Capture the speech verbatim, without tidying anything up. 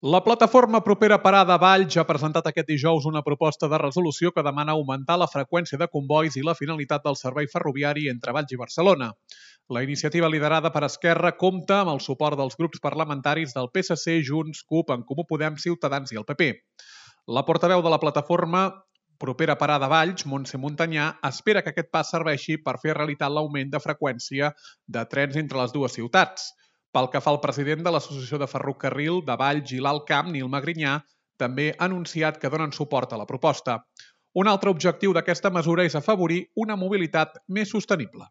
La plataforma Propera Parada Valls ha presentat aquest dijous una proposta de resolució que demana augmentar la freqüència de combois i la finalitat del servei ferroviari entre Valls i Barcelona. La iniciativa liderada per Esquerra compta amb el suport dels grups parlamentaris del P S C, Junts, CUP, En Comú Podem, Ciutadans i el P P. La portaveu de la plataforma Propera Parada Valls, Montse Montanyà, espera que aquest pas serveixi per fer realitat l'augment de freqüència de trens entre les dues ciutats. Pel que fa al president de l'Associació de Ferrocarril de Valls i l'Alt Camp, Nil Magrinyà, també ha anunciat que donen suport a la proposta. Un altre objectiu d'aquesta mesura és afavorir una mobilitat més sostenible.